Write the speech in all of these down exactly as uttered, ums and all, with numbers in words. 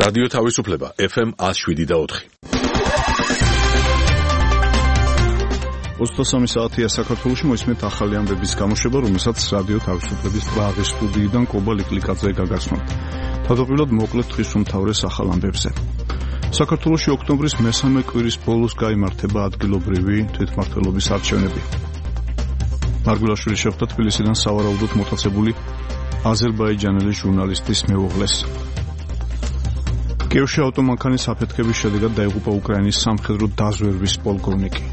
რადიო თავისუფლება ეფ ემ one oh seven და four. ოცდასამი საათია საქართველოში, მოისმენთ ახალი ამბების გამოშვება, რომელსაც რადიო თავისუფლების პრაღის სტუდიიდან კობა ლიკლიკაძე გაგაცნობთ. თავდაპირველად მოკლედ თვის უმთავრეს ახალ ამბებზე. საქართველოში ოქტომბრის მესამე კვირის ბოლოს გაიმართება ადგილობრივი თვითმმართველობის არჩევნები. მარგულაშვილი შეხვდა თბილისიდან სავარაუდოდ მოტაცებული აზერბაიჯანელი ჟურნალისტის მეუღლეს. კიევში ავტომანქანის აფეთქების შედეგად დაიღუპა უკრაინის სამხედრო დაზვერვის პოლკოვნიკი.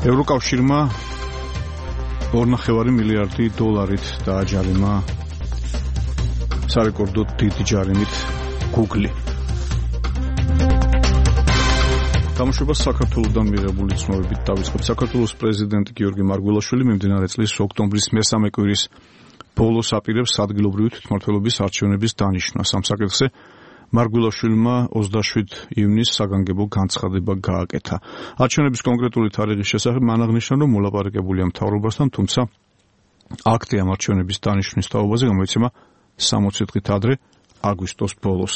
ევროკავშირმა ორნახევარი მილიარდი დოლარით დააჯარიმა სარეკორდო დიდი ჯარიმით Google. გამოშვებას საქართველოსთან მიღებული ცნობებით დავიწყებ. საქართველოს პრეზიდენტი გიორგი მარგველაშვილი მიმდინარე წლის ოქტომბრის მესამე კვირის ბოლოს აპირებს ადგილობრივი თვითმმართველობის არჩევნების დანიშვნას. ამ საკითხზე მარგველაშვილმა ოცდაშვიდ ივნისს საგანგებო განცხადება გააკეთა. არჩევნების კონკრეტული თარიღის შესახებ მან აღნიშნა, რომ მოლაპარაკებულია მთავრობასთან, თუმცა აქტი ამ არჩევნების დანიშვნის თაობაზე გამოიცემა სამოცი დღით ადრე, აგვისტოს ბოლოს.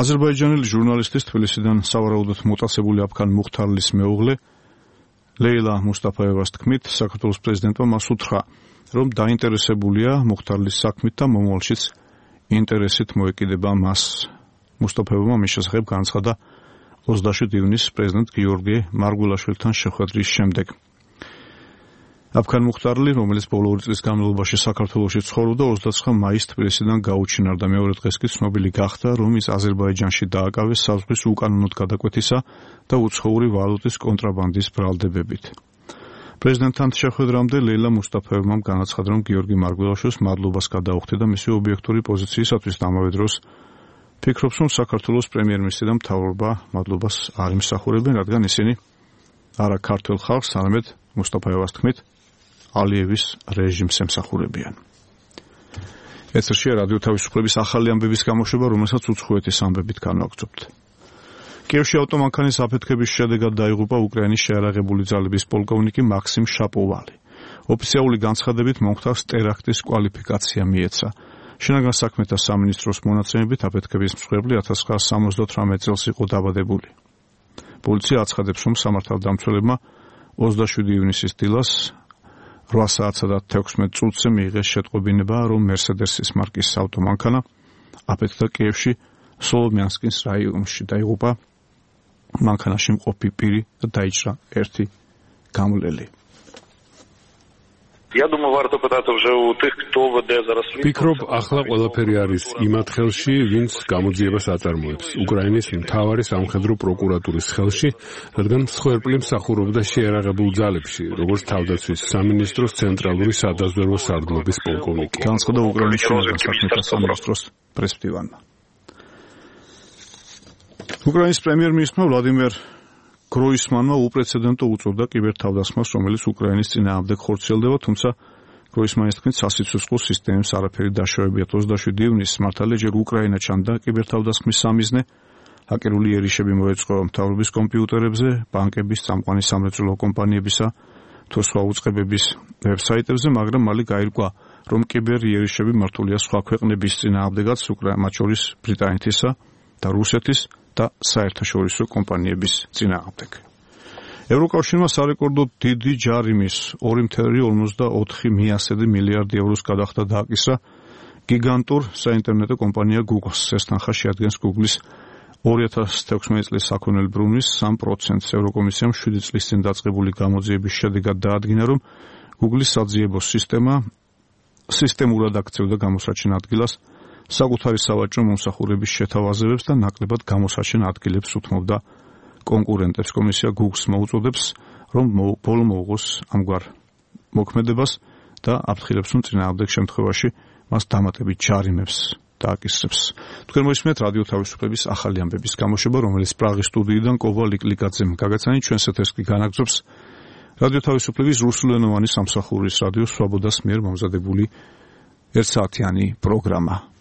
აზერბაიჯანელი ჟურნალისტის თბილისიდან სავარაუდოდ მოტაცებული აფქან მუხთარლის მეუღლე ლეილა მუსტაფაევას თქმით, საქართველოს პრეზიდენტმა მას უთხრა, რომ დაინტერესებულია მუხთარლის საქმით და მომავალშიც ინტერესით მოეკიდება მას. მუსტაფაევმა მის შესახებ განაცხადა ოცდაშვიდ ივნისს პრეზიდენტ გიორგი მარგველაშვილთან შეხვედრის შემდეგ. აფქან მუხთარლი, რომელიც ბოლო ორი წლის განმავლობაში საქართველოში ცხოვრობდა, ოცდაცხრა მაისს თბილისიდან გაუჩინარდა. მეორე დღეს კი ცნობილი გახდა, რომ ის აზერბაიჯანში დააკავეს საზღვრის უკანონოდ გადაკვეთისა და უცხოური ვალუტის კონტრაბანდის ბრალდებებით. პრეზიდენტთან შეხვედრამდე ლეილა მუსტაფაევმა განაცხადა, რომ გიორგი მარგველაშვილს მადლობას გადაუხდა და მისი ობიექტური პოზიციისათვის და ამავე დროს ფიქრობს, რომ საქართველოს პრემიერ-მინისტრი და მთავრობა მადლობას არ იმსახურებენ, რადგან ისინი არა ქართველ ხალხს, არამედ მუსტაფაევას თქმით, ალიევის რეჟიმს ემსახურებიან. ეთერშია რადიო თავისუფლების ახალი ამბების გამოშვება, რომელსაც უცხოეთის ამბებით განვაგრძობთ. კიევში ავტომანქანის აფეთქების შედეგად დაიღუპა უკრაინის შეიარაღებული ძალების პოლკოვნიკი მაქსიმ შაპოვალი. ოფიციალური განცხადებით მომხდარს ტერაქტის კვალიფიკაცია მიეცა. შინაგან საქმეთა სამინისტროს მონაცემებით აფეთქების მსხვერპლი ათას ცხრაასა სამოცდათვრამეტ წელს იყო დაბადებული. პოლიცია აცხადებს, რომ სამართალდამცველებმა ოცდაშვიდი ივნისის დილას რვა საათსა და თექვსმეტ წუთზე მიიღეს შეტყობინება, რომ მერსედესის მარკის ავტომანქანა აფეთქდა კიევში სოლომიანსკის რაიონში. დაიღუპა მანქანაში მყოფი პირი და დაიჭრა ერთი გამლელი. Я думаю, варто питати вже у тих, хто веде зараз слідство. Ფიქრობ, ახლა ყველაფერი არის იმათ ხელში, ვინც გამოძიებას აწარმოებს. უკრაინის მთავარი სამხედრო პროკურატურის ხელში, რადგან მსხვერპლი მსახურობდა შეიარაღებულ ძალებში, როგორც თავდაცვის სამინისტროს ცენტრალური სადაზვერვო სარდლობის პოლკოვნიკი. განაცხადა უკრაინის შინაგან საქმეთა სამინისტროს პრესმდივანმა. უკრაინის პრემიერ-მინისტრმა ვლადიმერ გროისმანმა უპრეცედენტო უწოდა კიბერთავდასხმას, რომელიც უკრაინის წინააღმდეგ ხორციელდება, თუმცა გროისმანის თქმით სასიცოცხლო სისტემის არაფერი დაშავებიათ. ოცდაშვიდი ივნისს მართალია ჯერ უკრაინა ჩანდა კიბერთავდასხმის სამიზნე, ჰაკერული ერიშები მოეწყო მთავრობის კომპიუტერებზე, ბანკების, წამყვანი სამრეწველო კომპანიებისა თუ სხვა უწყებების ვებსაიტებზე, მაგრამ მალე გაირკვა, რომ კიბერ ერიშები მართულია სხვა ქვეყნების წინააღმდეგაც, მათ შორის ბრიტანეთისა და რუსეთის და საერთაშორისო კომპანიების წინააღმდეგ. ევროკავშირმა სარეკორდო დიდი ჯარიმის ორი virgulă ორმოცდაოთხი მილიარდი ევროს გადახდა დააკისრა გიგანტურ საინტერნეტო კომპანია Google-ს. ეს თანხა შეადგენს Google-ის ორი ათას თექვსმეტი წლის საქონელი ბრუნვის სამ პროცენტს. ევროკომისიამ შვიდი წლის წინ დაწყებული გამოძიების შედეგად დაადგინა, რომ Google-ის საძიებო სისტემა სისტემურად აქცევდა გამოსაჩენ ადგილას საკუთარი სავაჭრო მომსახურების შეთავაზებებს და ნაკლებად გამოსაჩენ ადგილებს უთმობდა კონკურენტებს. კომისია Google-ს მოუწოდებს, რომ ბოლო მოუღოს ამგვარ მოქმედებას და აფრთხილებს, რომ წინააღმდეგ შემთხვევაში მას დამატებით ჯარიმებს დააკისრებს. თქვენ მოისმენთ რადიო თავისუფლების ახალი ამბების გამოშვება, რომელიც პრაღის სტუდიიდან კობა ლიკლიკაძემ გაგაცანით. ჩვენს ეთერს კი განაგრძობს რადიო თავისუფლების რუსულენოვანი სამსახურის რადიო სვაბოდას მიერ მომზადებული ერთსაათიანი პროგრამა.